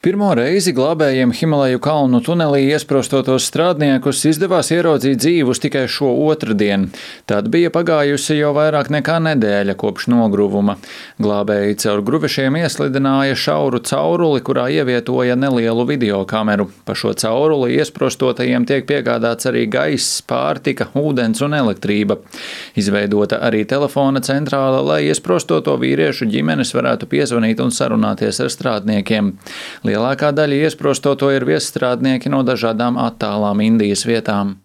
Pirmo reizi glābējiem Himalaju kalnu tunelī iesprostotos strādniekus izdevās ieraudzīt dzīvus tikai šo otrdienu. Tad bija pagājusi jau vairāk nekā nedēļa kopš nogruvuma. Glābēji caur gruvešiem ieslidināja šauru cauruli, kurā ievietoja nelielu videokameru. Pa šo cauruli iesprostotajiem tiek piegādāts arī gaiss, pārtika, ūdens un elektrība. Izveidota arī telefona centrāla, lai iesprostoto vīriešu ģimenes varētu piezvanīt un sarunāties ar strādniekiem. Lielākā daļa iesprostoto ir viesstrādnieki no dažādām attālām Indijas vietām.